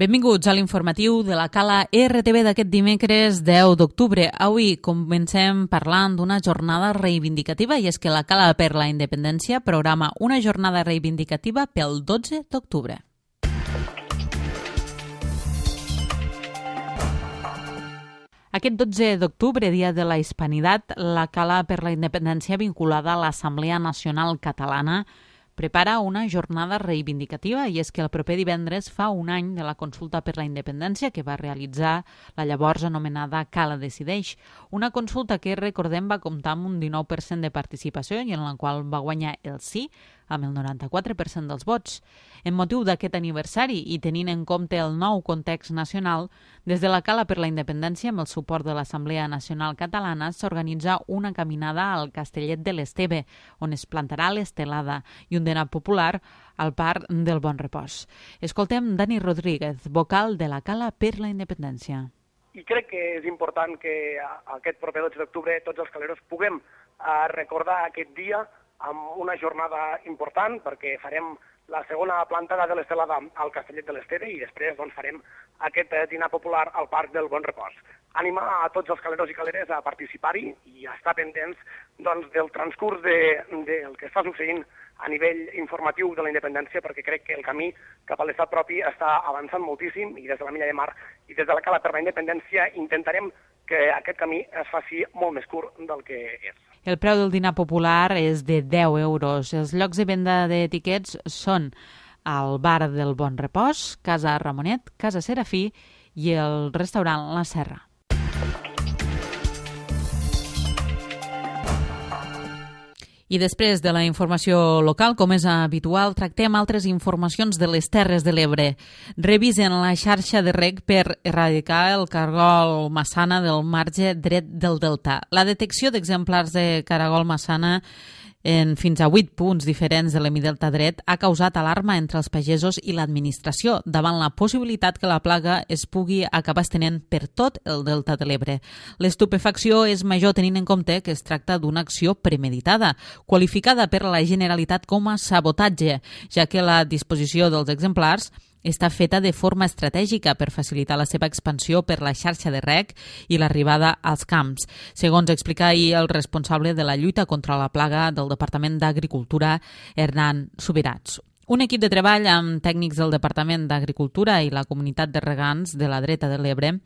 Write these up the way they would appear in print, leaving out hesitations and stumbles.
Benvinguts a l'informatiu de la Cala RTV d'aquest dimecres 10 d'octubre. Avui comencem parlant d'una jornada reivindicativa i és que la Cala per la Independència programa una jornada reivindicativa pel 12 d'octubre. Aquest 12 d'octubre, dia de la Hispanitat, la Cala per la Independència vinculada a l'Assemblea Nacional Catalana prepara una jornada reivindicativa i és que el proper divendres fa un any de la consulta per la independència que va realitzar la llavors anomenada Cala Decideix. Una consulta que, recordem, va comptar amb un 19% de participació i en la qual va guanyar el sí amb el 94% dels vots. En motiu d'aquest aniversari i tenint en compte el nou context nacional, des de la Cala per la Independència, amb el suport de l'Assemblea Nacional Catalana, s'organitza una caminada al Castellet de l'Esteve, on es plantarà l'estelada i un dinar popular al Parc del Bon Repòs. Escoltem Dani Rodríguez, vocal de la Cala per la Independència. I crec que és important que aquest proper 12 d'octubre tots els caleros puguem recordar aquest dia amb una jornada important perquè farem la segona plantada de l'estelada al Castellet de l'Esteve i després farem aquest dinar popular al Parc del Bon Repòs. Animar a tots els caleros i caleres a participar-hi i a estar pendents del transcurs del que està succeint a nivell informatiu de la independència, perquè crec que el camí cap a l'estat propi està avançant moltíssim i des de la Milla de Mar i des de la Cala per la Independència intentarem que aquest camí es faci molt més curt del que és. El preu del dinar popular és de 10 euros. Els llocs de venda d'etiquets són al Bar del Bon Repòs, Casa Ramonet, Casa Serafí i el restaurant La Serra. I després de la informació local, com és habitual, tractem altres informacions de les Terres de l'Ebre. Revisen la xarxa de reg per erradicar el cargol massana del marge dret del delta. La detecció d'exemplars de caragol massana en fins a 8 punts diferents de l'hemidelta dret ha causat alarma entre els pagesos i l'administració davant la possibilitat que la plaga es pugui acabar estenent per tot el delta de l'Ebre. L'estupefacció és major tenint en compte que es tracta d'una acció premeditada, qualificada per la Generalitat com a sabotatge, ja que la disposició dels exemplars està feta de forma estratègica per facilitar la seva expansió per la xarxa de reg i l'arribada als camps. Segons explica ahir el responsable de la lluita contra la plaga del Departament d'Agricultura, Hernán Subirats. Un equip de treball amb tècnics del Departament d'Agricultura i la comunitat de regants de la dreta de l'Ebre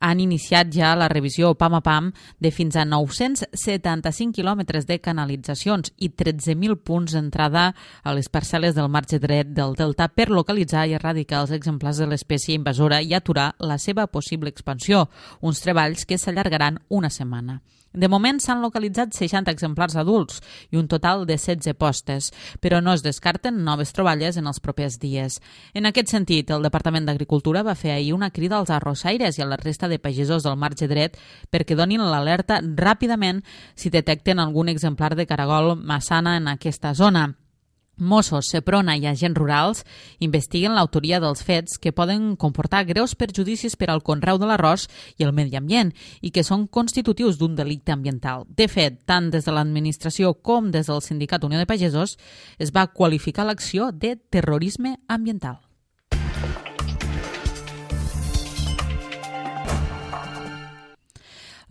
han iniciat ja la revisió pam a pam de fins a 975 quilòmetres de canalitzacions i 13.000 punts d'entrada a les parcel·les del marge dret del delta per localitzar i erradicar els exemplars de l'espècie invasora i aturar la seva possible expansió, uns treballs que s'allargaran una setmana. De moment s'han localitzat 60 exemplars adults i un total de 16 postes, però no es descarten noves troballes en els propers dies. En aquest sentit, el Departament d'Agricultura va fer ahir una crida als arrossaires i a la resta de pagesos del marge dret perquè donin l'alerta ràpidament si detecten algun exemplar de caragol massana en aquesta zona. Mossos, Seprona i agents rurals investiguen l'autoria dels fets que poden comportar greus perjudicis per al conreu de l'arròs i el medi ambient i que són constitutius d'un delicte ambiental. De fet, tant des de l'administració com des del Sindicat Unió de Pagesos es va qualificar l'acció de terrorisme ambiental.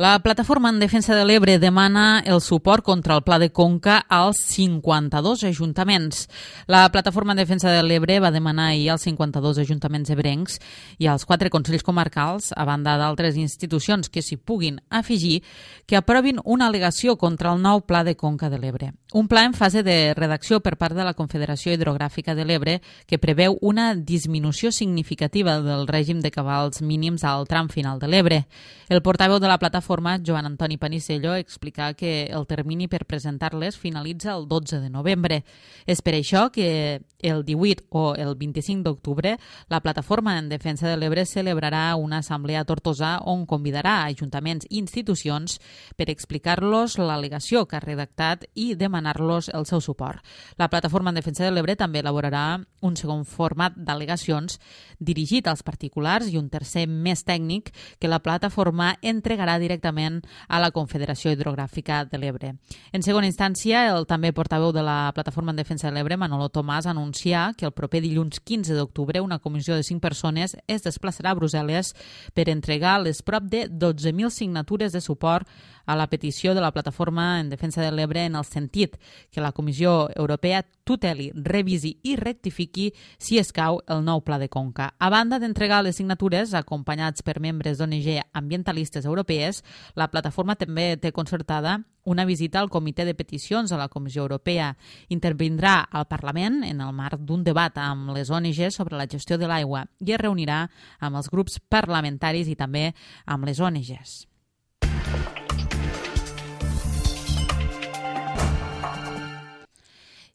La Plataforma en Defensa de l'Ebre demana el suport contra el Pla de Conca als 52 ajuntaments. La Plataforma en Defensa de l'Ebre va demanar ahir als 52 ajuntaments ebrencs i als 4 consells comarcals, a banda d'altres institucions que s'hi puguin afegir, que aprovin una al·legació contra el nou Pla de Conca de l'Ebre. Un pla en fase de redacció per part de la Confederació Hidrogràfica de l'Ebre que preveu una disminució significativa del règim de cabals mínims al tram final de l'Ebre. El portaveu de la plataforma, Joan Antoni Panisello, explica que el termini per presentar-les finalitza el 12 de novembre. És per això que el 18 o el 25 d'octubre la Plataforma en Defensa de l'Ebre celebrarà una assemblea a Tortosa on convidarà ajuntaments i institucions per explicar-los l'al·legació que ha redactat i demanar-los el seu suport. La Plataforma en Defensa de l'Ebre també elaborarà un segon format d'al·legacions dirigit als particulars i un tercer més tècnic que la plataforma entregarà directament directament a la Confederació Hidrogràfica de l'Ebre. En segona instància, el també portaveu de la Plataforma en Defensa de l'Ebre, Manolo Tomàs, anuncià que el proper dilluns 15 d'octubre una comissió de 5 persones es desplaçarà a Brussel·les per entregar les prop de 12.000 signatures de suport a la petició de la Plataforma en Defensa de l'Ebre en el sentit que la Comissió Europea tuteli, revisi i rectifiqui, si escau, el nou Pla de Conca. A banda d'entregar les signatures, acompanyats per membres d'ONG ambientalistes europees, la plataforma també té concertada una visita al Comitè de Peticions de la Comissió Europea. Intervindrà al Parlament en el marc d'un debat amb les ONG sobre la gestió de l'aigua i es reunirà amb els grups parlamentaris i també amb les ONGs.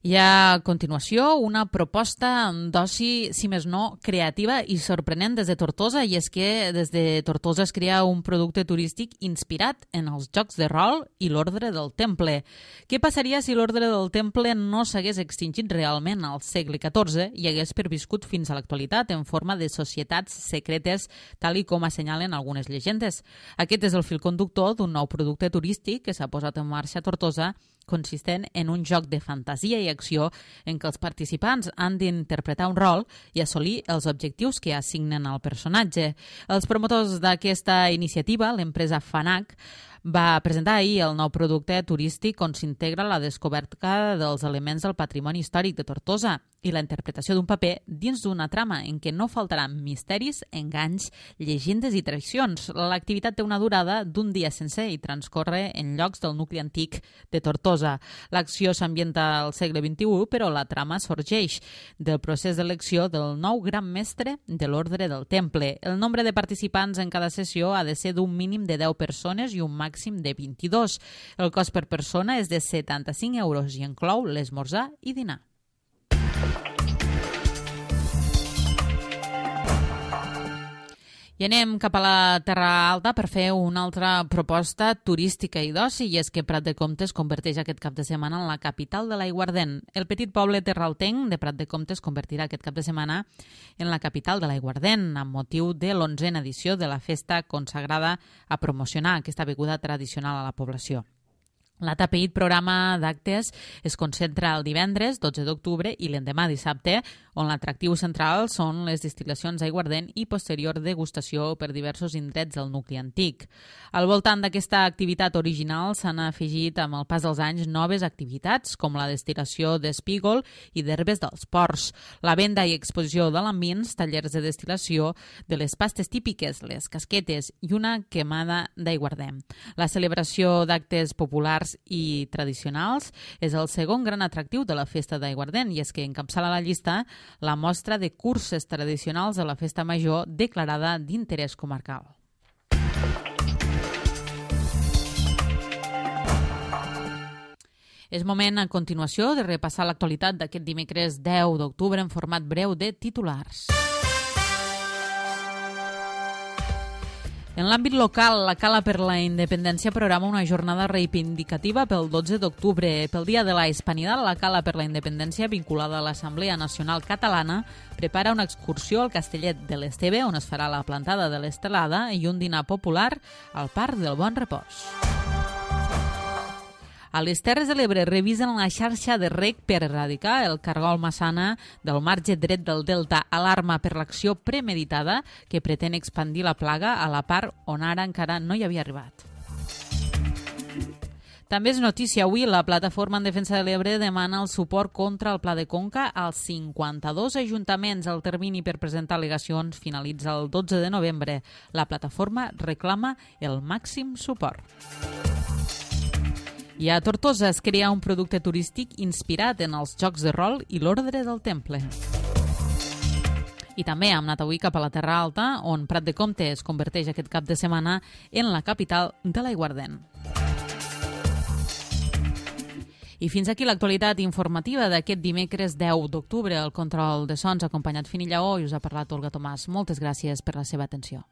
I a continuació, una proposta d'oci, si més no, creativa i sorprenent des de Tortosa, i és que des de Tortosa es crea un producte turístic inspirat en els jocs de rol i l'Ordre del Temple. Què passaria si l'Ordre del Temple no s'hagués extingit realment al segle XIV i hagués perviscut fins a l'actualitat en forma de societats secretes, tal i com assenyalen algunes llegendes? Aquest és el fil conductor d'un nou producte turístic que s'ha posat en marxa a Tortosa, consistent en un joc de fantasia i acció en què els participants han d'interpretar un rol i assolir els objectius que assignen al personatge. Els promotors d'aquesta iniciativa, l'empresa Fanac, va presentar ahir el nou producte turístic on s'integra la descoberta dels elements del patrimoni històric de Tortosa i la interpretació d'un paper dins d'una trama en què no faltaran misteris, enganys, llegendes i tradicions. L'activitat té una durada d'un dia sencer i transcorre en llocs del nucli antic de Tortosa. L'acció s'ambienta al segle XXI, però la trama sorgeix del procés d'elecció del nou gran mestre de l'Ordre del Temple. El nombre de participants en cada sessió ha de ser d'un mínim de 10 persones i un màxim de 22. El cost per persona és de 75 euros i inclou l'esmorzar i dinar. I anem cap a la Terra Alta per fer una altra proposta turística i d'oci, i és que Prat de Comte es converteix aquest cap de setmana en la capital de l'Aiguardent. El petit poble terraltenc de Prat de Comte es convertirà aquest cap de setmana en la capital de l'Aiguardent, amb motiu de l'11a edició de la festa consagrada a promocionar aquesta beguda tradicional a la població. L'Atapeït programa d'actes es concentra el divendres 12 d'octubre i l'endemà dissabte, on l'atractiu central són les destil·lacions d'aiguardent i posterior degustació per diversos indrets del nucli antic. Al voltant d'aquesta activitat original s'han afegit amb el pas dels anys noves activitats, com la destil·lació d'espígol i d'herbes dels ports, la venda i exposició de l'ambins, tallers de destil·lació de les pastes típiques, les casquetes i una quemada d'aiguardent. La celebració d'actes populars i tradicionals és el segon gran atractiu de la festa d'aiguardent, i és que encapçala la llista la mostra de curses tradicionals de la festa major declarada d'interès comarcal. És moment a continuació de repassar l'actualitat d'aquest dimecres 10 d'octubre en format breu de titulars. En l'àmbit local, la Cala per la Independència programa una jornada reivindicativa pel 12 d'octubre. Pel Dia de la Hispanidad, la Cala per la Independència, vinculada a l'Assemblea Nacional Catalana, prepara una excursió al Castellet de l'Esteve, on es farà la plantada de l'Estelada, i un dinar popular al Parc del Bon Repòs. A les Terres de l'Ebre revisen la xarxa de reg per erradicar el cargol massana del marge dret del delta, alarma per l'acció premeditada que pretén expandir la plaga a la part on ara encara no hi havia arribat. També és notícia avui, la Plataforma en Defensa de l'Ebre demana el suport contra el Pla de Conca als 52 ajuntaments. El termini per presentar al·legacions finalitza el 12 de novembre. La plataforma reclama el màxim suport. I a Tortosa es crea un producte turístic inspirat en els jocs de rol i l'Ordre del Temple. I també hem anat avui cap a la Terra Alta, on Prat de Comte es converteix aquest cap de setmana en la capital de l'Aiguardent. I fins aquí l'actualitat informativa d'aquest dimecres 10 d'octubre. El control de sons acompanyat Fini Lleó i us ha parlat Olga Tomàs. Moltes gràcies per la seva atenció.